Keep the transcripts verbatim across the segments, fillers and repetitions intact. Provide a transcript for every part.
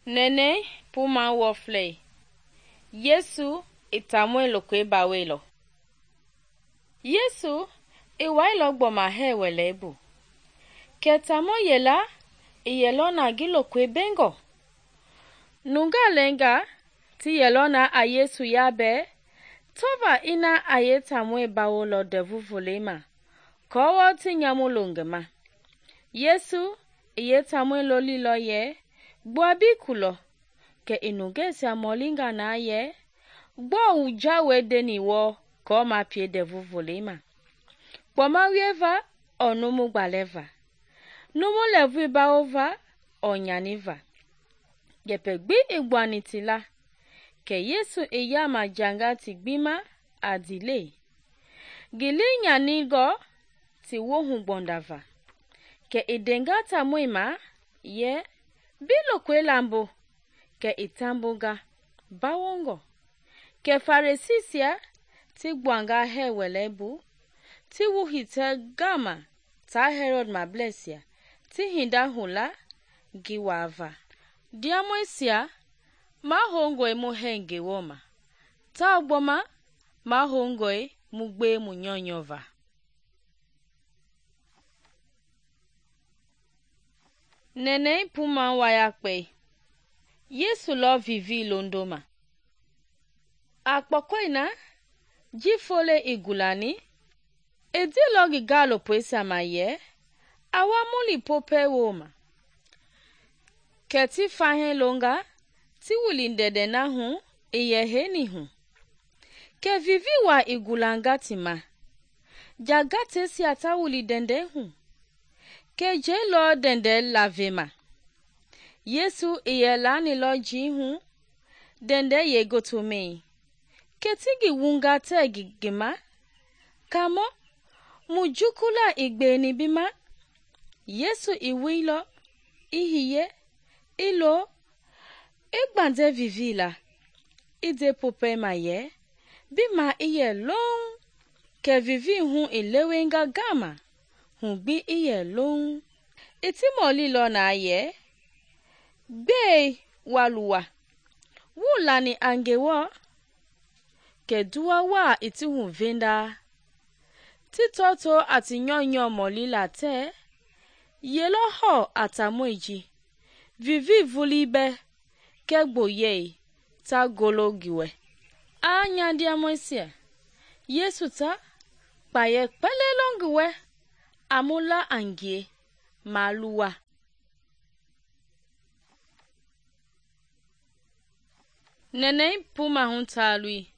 Nene puma wofle. Yesu itamwe lokwe bawelo. Yesu iwailo gboma he welebu. Ketamo yela iyelona gilokwe bengo. Nunga lenga ti yelona a Yesu yabe tova ina aye tamwe bawolo devu volema. Kowo ti nyamulongema. Yesu iye tamwe loli lo ye gboabi kulo ke inugesia molinga na ye gbo uja wedeni wo ko ma pie devu volema. Gboma wieva o numu gbaleva. Numu levu baova o nyaniva. Yepe gbi igwani tila ke Yesu iyama janga ti gbima adile. Gili nyanigo ti wohu gbondava. Ke idenga tamwema ye bilo kwe lambo ke itambuga bawongo. Ke farisisia ti gwanga he welebu ti wuhite gama ta Herod mablesia ti hinda hula giwava. Diamwesia ma hongoi mu henge woma. Ta ogboma ma hongoi mu gbe mu nyonyova. Nene puma wayakpe. Yesu lo vivi londoma. Akpokoina jifole igulani edi logi galo pwesa maye awamuli pope woma. Keti fahen longa ti wulindede na hu iyeheni hu. Ke vivi wa igulanga tima. Jagate si ata wulidende hu. Ke je lo dende lavema. Yesu iyelani lo jihu dende ye gotome. Ketigi wunga tegi gima. Kamo mujukula igbeni bima. Yesu iwilo ihiye ilo igbande vivila. Ide pope maye bima iye long ke vivi hu ilewenga gama. Hungbi iye long. Iti moli lo na ye. Be waluwa. Wulani angewo. Ke duwa wa iti hu venda. Titoto ati nyonyo moli la te. Yelo ho atamweji. Vivi vulibe. Ke gboye. Ta golo giwe. A nyandia mwesia. Yesu ta. Paye pele longwe. Amula angie. Maluwa. Nene puma huntalui.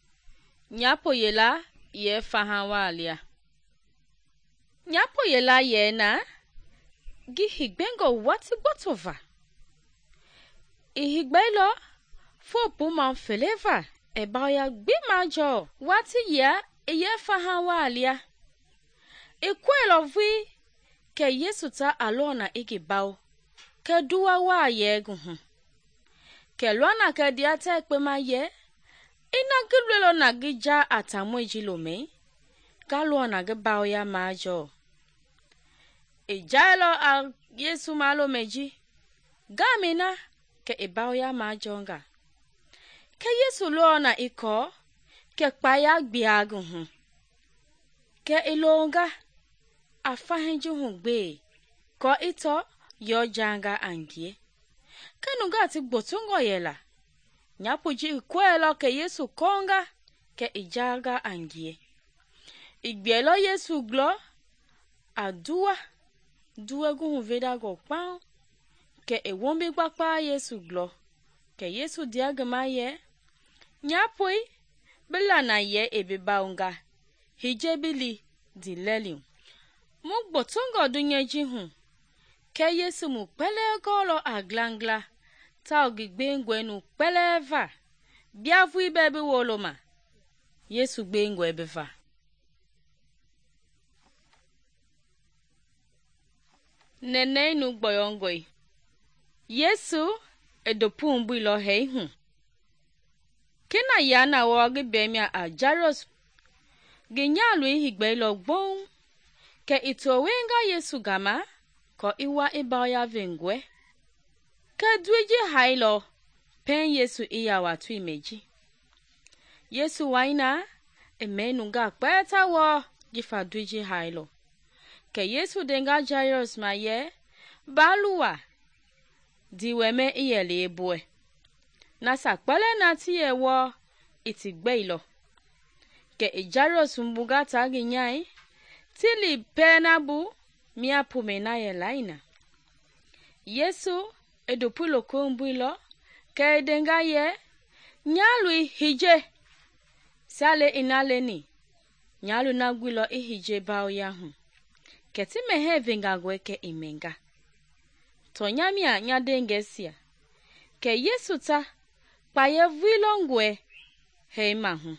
Nyapo yela ye fahawalia. Nyapo yela ye na. Gihigbengo wati botova. Ihigbailo. Fo puma feleva. Eba ya gbima jo. Wati ya ye fahawalia. Ikwelo vi. Ke Yesu ta alona iki bao. Ke duwa wa ye guhu. Ke luana ke diate ekpe ma ye. Ina gilwelo na gija atamweji lome. Galuana ge bao ya majo. Ijailo a Yesu malo meji. Gamina ke ibao ya majonga. Ke Yesu luana iko. Ke kpaya gbiaguhu. Ke ilonga. Afahenju hungbe. Ko ito yo janga angie. Kenunga ti gbotungo yela. Nyapuji kwelo ke Yesu konga. Ke ijaga angie. Igbielo Yesu glo. Adua. Due gu veda go pao. Ke e wombi gbakpa Yesu glo. Ke Yesu diagama ye. Nyapui. Bila na ye ebe baunga. Hijebili di lelium. Mugbo tungo dunyeji hu. Ke Yesu mu pele golo aglangla. Ta ogigbe ngwenu pele eva. Biavu ibebe woloma. Yesu gbe ngwe beva. Nene nu gboyongoi. Yesu edopu mbu lo hei hu. Kena yana wogi bemia a Jairus. Ginyalu ihigbe lo gbon. Ke ito wenga Yesu gama. Ko iwa iba ya vengwe. Ke dwiji hailo. pen Yesu i ya wa tui meji. Yesu waina e me nunga kpeta wo jifa duiji hailo. Ke Yesu denga Jairus ma ye, baluwa di weme i ye le boe. Nasa kpele na ti ye wo iti gbeilo. Ke i Jairus mbuga tagi nyai, ti li pena bu mia pume na ye laina. Yesu e dopu loko mbuilo, ke e denga ye, nyalui hije. Sale ina leni, nyalu na gwilo i hije bao yahu. Ke ti mehe venga gwe ke imenga. To nyamia nya dengesia. Ke Yesu ta, pa ye vuilongwe heima hu.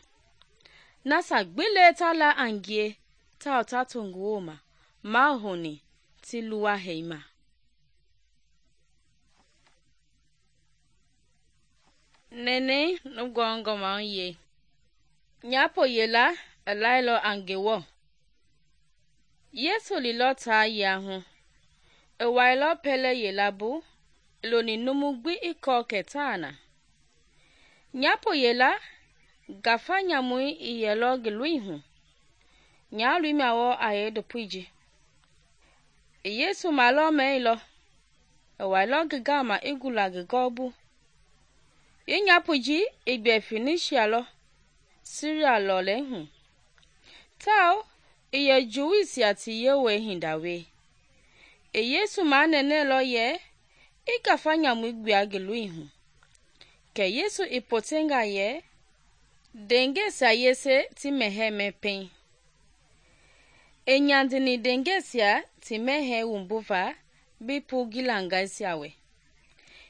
Nasa gbile ta la angie, ta otatungu oma, mahoni ti luwa heima. Nene nugongo maunye. Nyapo yela elailo angewo. Yesu li lo ta yahu. E wailo pele yela bu, lo ni numugbi iko ketana. Nyapo yela, gafa nyamui i yelo giluihu. Nyalui mawo aye dopuiji. Yesu malo meilo. E wailo gigama igula gigobu. Ye nyapuji igbe Phoenicia lo, Syria lo lehu. Tao, iye Juisia ti yewe hindawe. E Yesu ma nene lo ye, i gafa nyamu igbe agiluihu. Ke Yesu ipotenga ye, dengesia yese ti mehe mepen. E nyandini dengesia ti mehe umbuva, bipu gilangaisia we.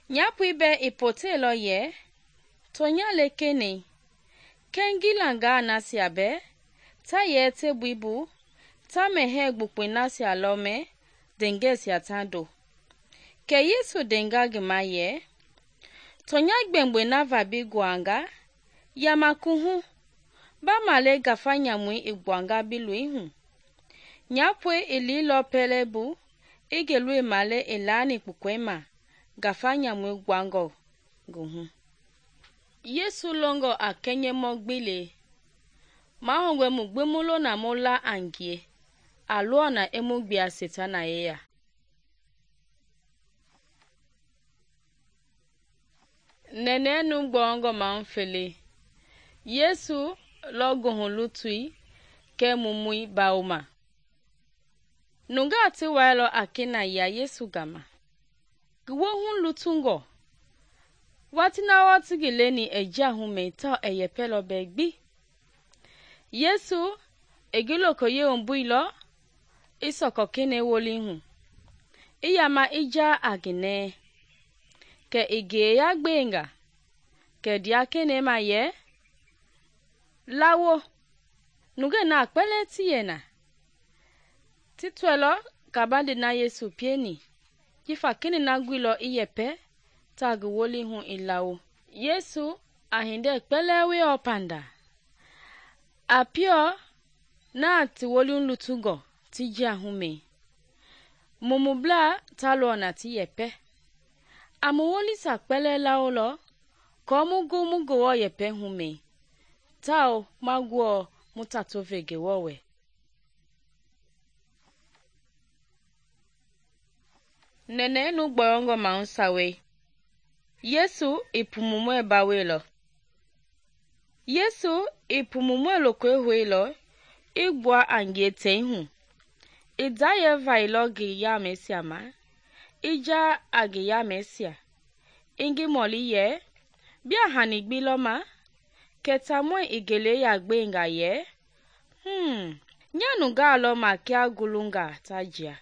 Nyapu ibe ipote lo ye, tonya lekene, kengilanga nasia be, ta ye te buibu, ta mehe gbukwe nasia lome, dengesia tando. Ke Yesu denga gima ye, tonya gbengbe na vabi guanga, yamakuhu, ba male gafa nyamui igwanga biluihu. Nyapwe ili lo pelebu, igelui male ilani kukwema, gafa nyamui gwango guhu. Yesu longo akenye mogbile. Mahongwe mugbemulo na mola angie. Aluo na emugbia setana yeya. Nene nu gbongo manfele. Yesu logo hulutui ke mumui bauma. Nunga ati wailo akina ya Yesu gama. Gwo hun lutungo. Watina wati gileni eja hume ta eyepelo begbi. Yesu egiloko ye ombuilo isoko kene wolihu. Iyama ija agine. Ke ige ya gbenga. Ke dia kene ma ye. Lawo. Nuge na akpele tiyena. Titwelo kabande na Yesu pieni. Jifa kene na gwilo iyepe. Tagu woli hun ilawo. Yesu ahinde kpelewe opanda. Apio na ti woli lutugo ti jia hume. Mumubla talo na ti yepe. Amu woli sa kpele laolo, komugu mugu wo yepe hume. Tao magwo mutatovege wowe. Nene nu gborongo maunsawe. Yesu ipumumwe bawelo. Yesu ipumumwe lokwe huelo, igwa angie tehu. Idaye vailo gi ya mesia ma, ija agi ya mesia. Ingi moli ye, bia hanigbilo ma, ketamwe igele ya gbenga ye. Hmm, nyanu galo ma kia gulunga tajia.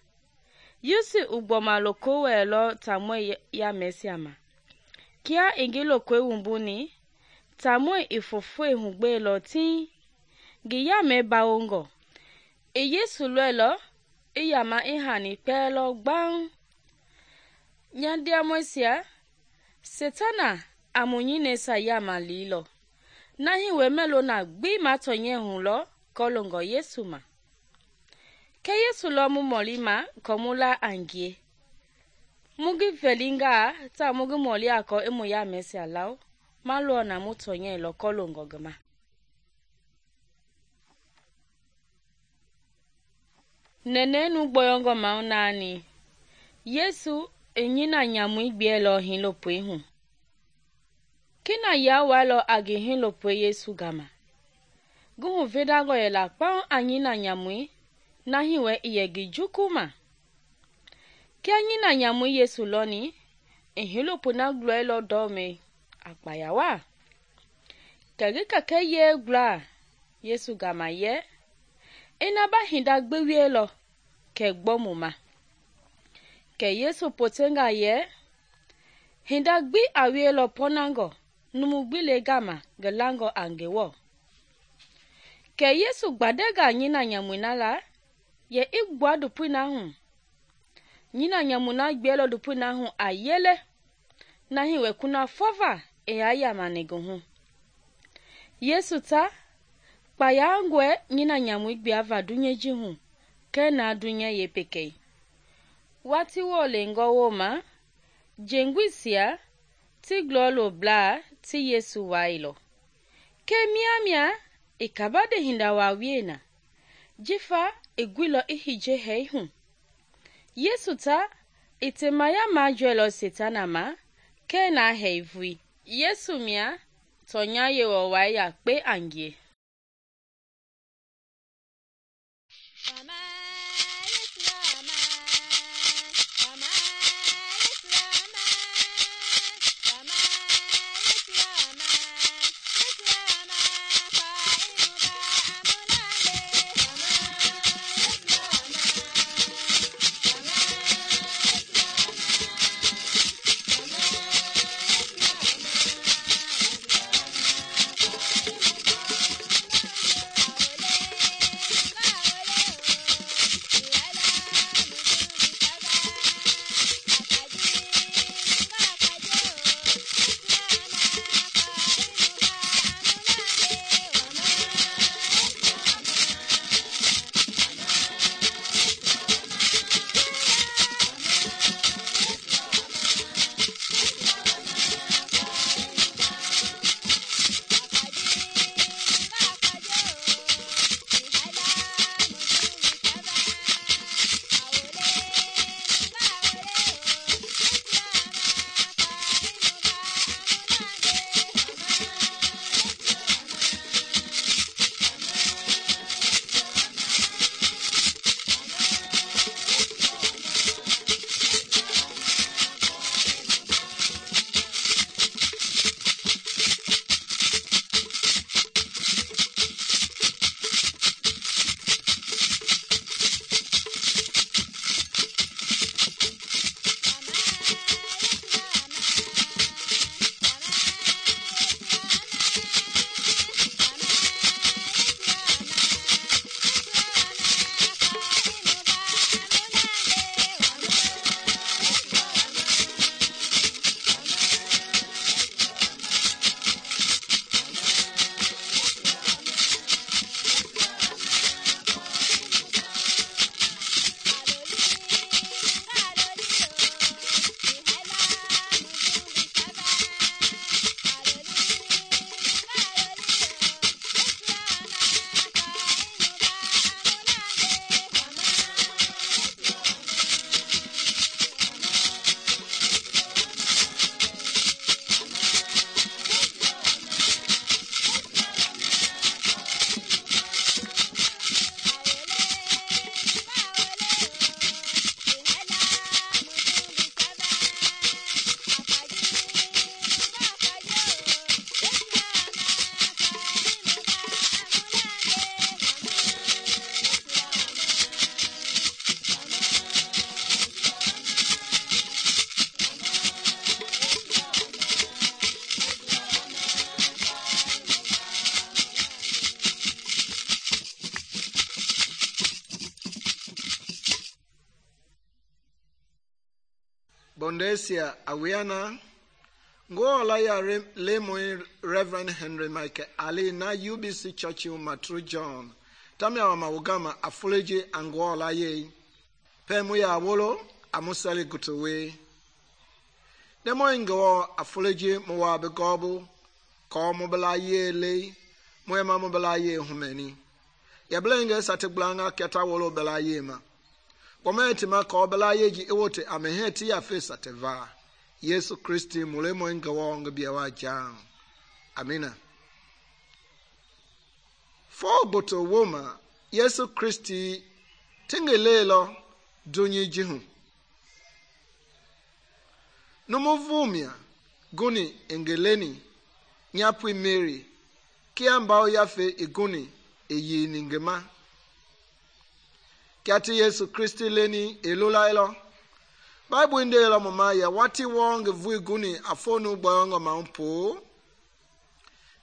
Yusi ugboma loko welo tamwe ya mesia ma. Kia ingilo kwe umbuni, tamwe ifufwe hugbe lo ti, giya me baongo. E Yesu lwelo, iyama ihani pelo gbang. Nyandia mwesia, Setana amunyine sa yama lilo. Nahi wemelo na gbi matonye hulo, kolongo Yesu ma. Ke Yesu lo mumolima komula angie. mugi velinga ta mugi moli ako emu ya mesia lau malo na mutonye lokolo ngogema. Nene nu boyongo maunani Yesu enyina nyamui gbielo hin lopui hu. Kina ya walo agi hin lopui Yesu gama. Guhu vedago yela kpao anyina nyamui na hiwe iyegi jukuma. Kia nyina nyamui Yesu loni hin lopui na gluelo dome akpayawa. Kegi kake ye gla Yesu gama ye ina ba hinda gbewielo ke gbomuma. Ke Yesu potenga ye hinda gbi awielo ponango numu gbile gama gelango angewo. Ke Yesu gbadega nyina nyamuna la ye igwa dupuna hu. Nyina nyamuna gbielo dupuna hu ayele na hiwe kuna fova eya yamanigo hu. Yesu ta kpayangwe nyina nyamui gbiava dunyeji hu ke na dunye ye pekei. Wati wo lengo woma jengwisia ti glolo bla ti Yesu wailo. Ke mia mia ikabade hinda wawiena. Jifa igwilo ihije hei hu. Yesu ta itemaya majuelo setana ma ke na heivui. Yesu mia tonya yewo waya kpe angie. Bondesia awiana ngo la ya le moi Reverend Henry Michael Ali na U B C Church Matru John tamia wa mawugama afuleji ango la ye pe mu ya wolo amusali gutuwe Demo ingo afoloji mo be gobu ko mo bela ye le mo ma mo bela ye humeni. Ya blenge sate blanga keta wolo bela ye ma. Pometi ma ko bela ye ji ewote ameheti ya fesa teva. Yesu Kristi mule mo ingo ngbiawa jang. Amina. Fo boto woma Yesu Kristi tingelelo dunyi jihu. Numu vumia guni engeleni nyapui Mary kia mbao yafe iguni eyi ningema. Kiati Yesu Kristi leni elola elo. Bible inde elo mama ya wati wong vui guni afonu boyongo maumpo.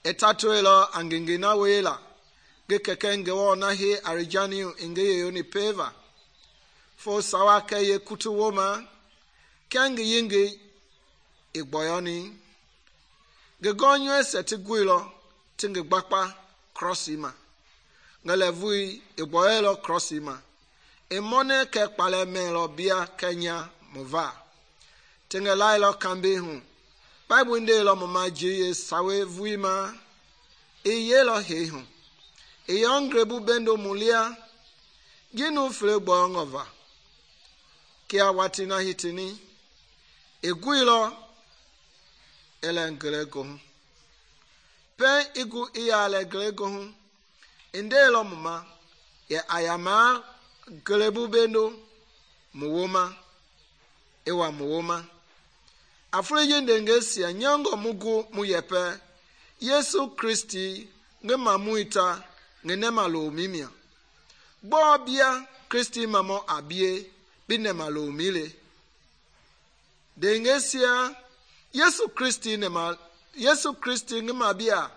Etato elo angengena wela. Ge kekenge wo na he arijani inge yoni peva. Fo sawa ke ye kutu woma. Kenge yinge igboyoni. Ge gonyo seti guilo tinge bakpa crossima. Ngale vui igboyelo crossima. Emone ke kpale melo bia Kenya mova. Tinge lailo kambi hu. Bible inde lo mama jiye sawe vui ma. Iye lo he hu. Iyongrebu bendo mulia. Ginu fle boyongova. Kia watina hitini. Iguilo ele ngelego hu. Pe igu iya ale ngelego hu. Inde lo mama. Ye ayama gelebu bendo. Muwoma. Ewa muwoma. Afreje ndengesia nyongo mugu muyepe. Yesu Kristi nge mamuita nge nemalo mimia. Bo bia Kristi mamo abie bine malo mile. Dengesia Yesu Kristi nema Yesu Kristi nge mabia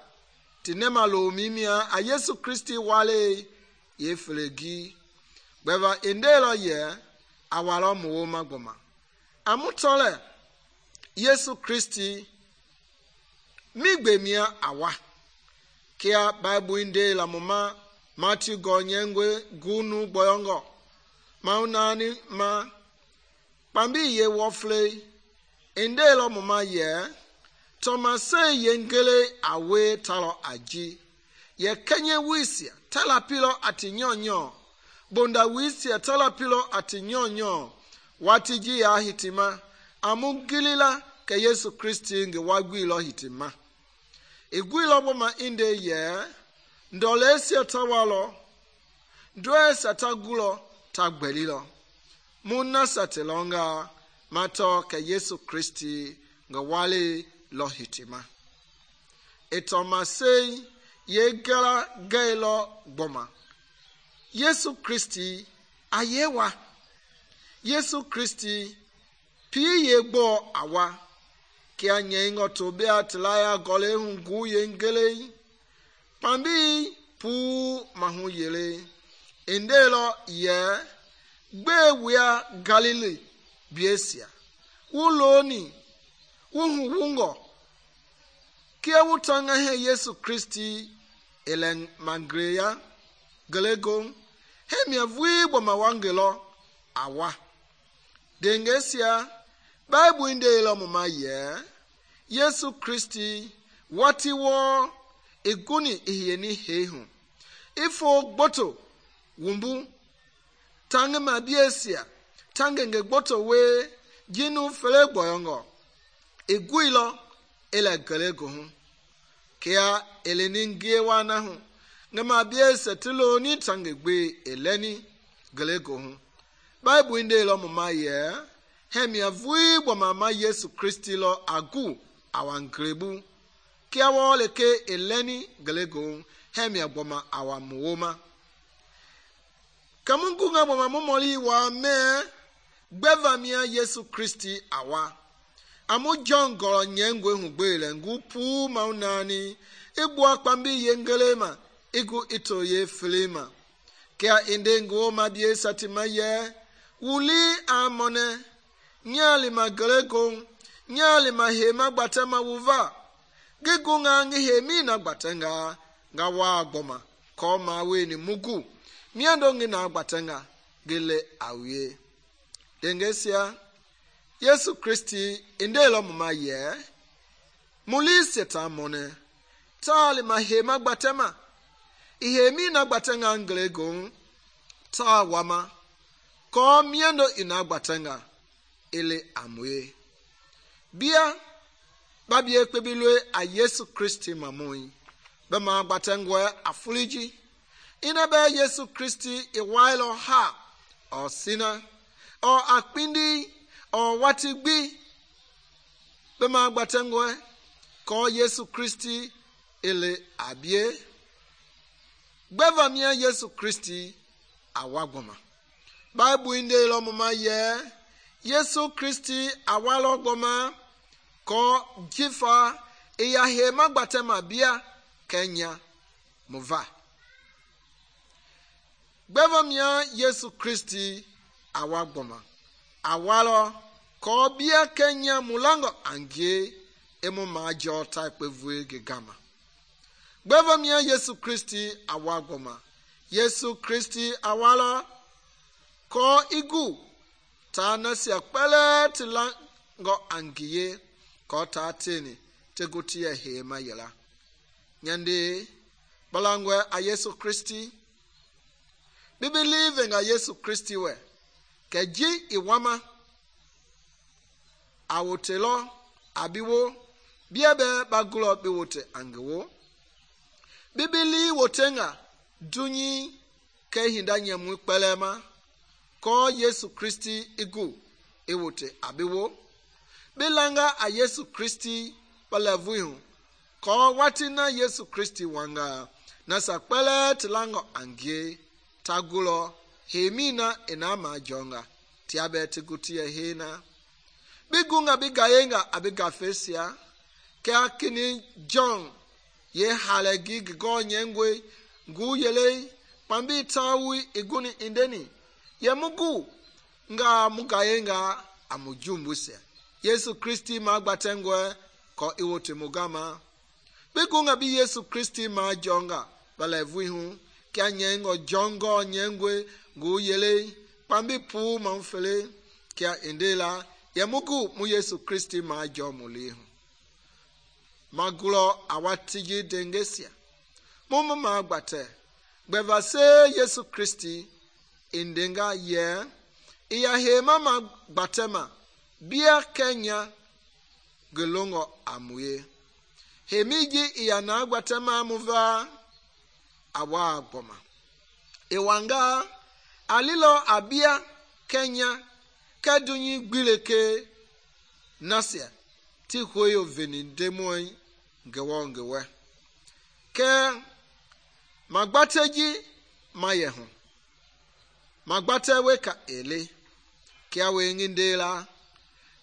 ti nemalo mimia a Yesu Kristi wale ye flegi. Beva indelo ye awalo muwoma goma. Amutole Yesu Kristi migbemia awa. Kia Bible inde la mama Matthew gonyengwe gunu boyongo. Maunani ma pambi ye wofle inde lo mama ye Thomas ye ngele awe talo aji. Ye kenye wisia tala pilo ati nyonyo. Bonda wisia tala pilo ati nyonyo. Watiji ya hitima. Amugilila ke Yesu Kristi nge wagwilo hitima. Igwilo boma inde ye. Ndole esi tawalo. Ndwe satagulo tagbelilo. Muna satelonga. Mato ke Yesu Kristi nge wale lo hitima. Etomase ye gala gailo boma. Yesu Kristi ayewa. Yesu Kristi pi ye gbo awa. Kia nyengo tobea tilaya gole hungu ye ngele. Pambi pu mahu yele. Indelo ye gbe wea Galilee biesia. Uloni uhu wungo. Kia wutanga he Yesu Kristi ele mangreya gelego. Hemia vui boma wangelo awa. Dengesia Bible inde ilo mama ye Yesu Kristi wati wo iguni ihiyeni hehu. Ifo gboto wumbu tange mabiesia tange nge gboto we jinu fele gboyongo. Iguilo ele gelego hu. Kia ele ningie wana hu. Nge mabiesia tilo ni tange gbe eleni gelego hu. Bible inde ilo mama ye hemia vui bo mama Yesu Kristi lo agu awangrebu. Kia wole ke eleni gelego hemia boma awamuoma. Kamungu nga boma momoli wa me gbeva mia Yesu Kristi awa. Amu John goro nyengwe hugbele ngu pu maunani. Igbu akpambi yengelema. Igu ito ye filima. Kia inde ngu mabie satima ye. Wuli amone. Nyali magelego. Nyali mahema gbatema wuva. Gigu nga ngi hemi na gbatenga. Nga wa gboma. Koma weni mugu. Miando ngi na gbatenga. Gile awie. Dengesia. Yesu Kristi inde lo mama ye muli seta mone tali ma hema gbatema ihemi na gbatenga nglegon ta wama ko miendo ina gbatenga ile amwe bia babie kpebilwe a Yesu Kristi mamoi bema gbatengwe afuliji ina be Yesu Kristi iwailo ha o sina o akpindi o watigbi bema gbatengwe ko Yesu Kristi ile abie gbeva mia Yesu Kristi awagboma Bible inde lo mama ye Yesu Kristi awalo gboma ko jifa iya hema gbatema bia Kenya muva gbeva mia Yesu Kristi awagboma awalo ko bia Kenya mulango angie emu majo type vue gegama gbeva mia Yesu Kristi awagboma Yesu Kristi awalo ko igu ta nasia pele tilango angie ko ta tini tegutia hema yela nyande balangwe a Yesu Kristi we believe in a Yesu Kristi we keji iwama awotelo abiwo biebe bagulo biwote angewo bibili wotenga dunyi ke hinda nyemu pelema ko Yesu Kristi igu ewote abiwo bilanga a Yesu Kristi palavuhu ko watina Yesu Kristi wanga nasa pele tilango angie tagulo hemina enama jonga tiabe tigutia hena bigunga bigayenga abigafesia ke akini John ye halegi go nyengwe ngu yele pambi tawi iguni indeni ye mugu nga mugayenga amujumbuse Yesu Kristi magbatengwe ko iwote mugama bigunga bi Yesu Kristi ma jonga balevuhu kya nyengo jongo nyengwe ngu yele pambi pu manfele kya indela ye mugu mu Yesu Kristi ma jomulihu magulo awatiji dengesia mumu magbate gbeva se Yesu Kristi indenga ye iya hema magbatema bia Kenya gelongo amuye hemiji iya na gbatema muva awa gboma ewanga alilo abia Kenya kadunyi gbileke nasia ti hoyo veni demoi ngewo ngewe ke magbateji mayehu magbate weka ele kia we ngindela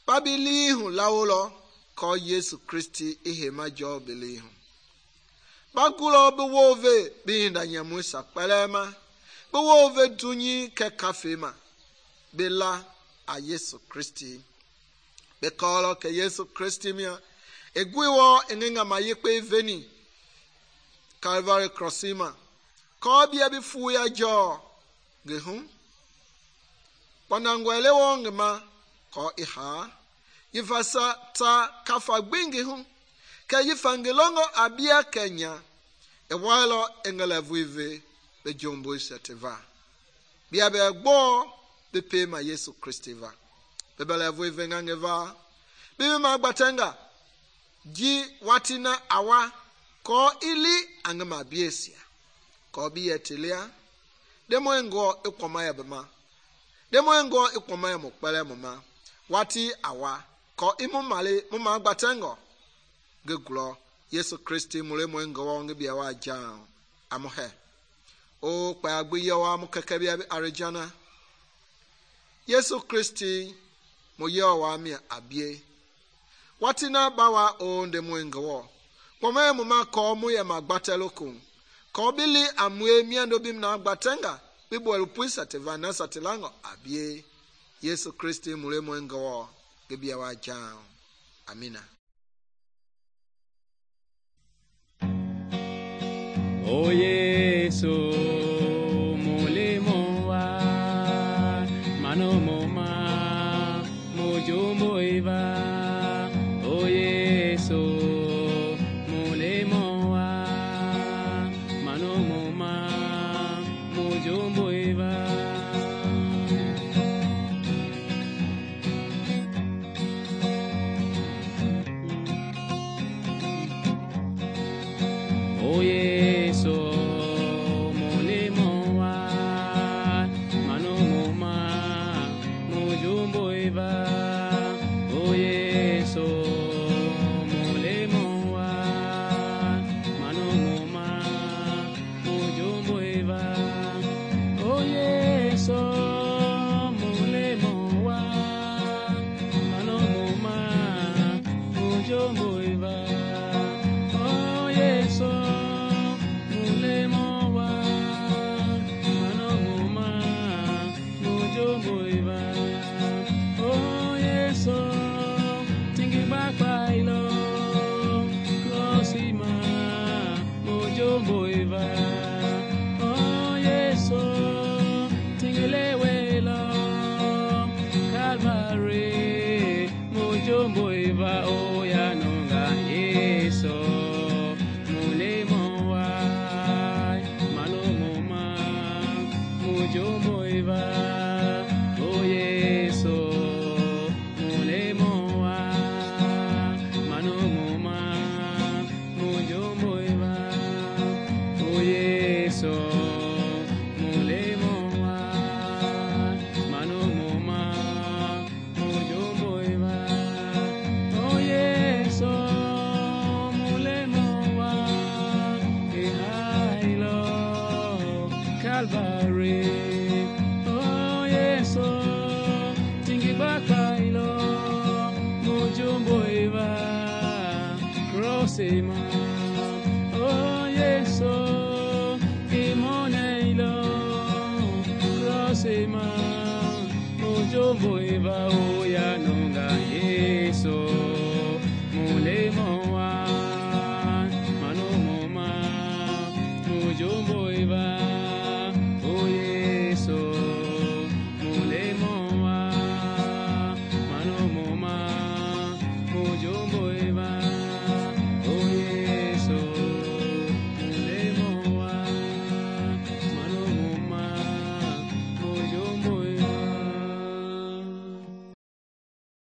babilihu lawolo ko Yesu Kristi ihe majo bilihu bagulo bewove binda nyamusa pelema bewove dunyi ke kafema bela a Yesu Kristi bekolo ke Yesu Kristi mia egwiwo engenga mayekpe veni Calvary crossima ko bia bifu ya jo gehu panangwele wongma ko iha yifasa ta kafa gbingi hu ke yifangelongo abia Kenya e walo engalavuive be jombo seteva bia be gbo be pema Yesu Kristi va be balavuive ngangeva bibi magbatenga ji watina awa ko ili angama biesia ko biyetelia demo ngo ikoma ya bema demo ngo ikoma ya mokpele mama wati awa ko imu male mama agbatengo gegulo Yesu Kristi mule mo ngo nge bia wa ja amohe o pa agbiye wa mu keke bia arijana Yesu Kristi mo ye wa mi abie watina bawa o nde mo ngo Kome muma ko mu ya magbatelokun. Ko bili amwe miando bim na agbatenga. Bibo elupuisa tevana satilango abie. Yesu Kristi mule mwengo bibia wa jao. Amina. O Yesu mule moa mano moma mujumbo crossema. Oh Yesu, imoneilo crossema. Ojo boiva oya nonga Yesu.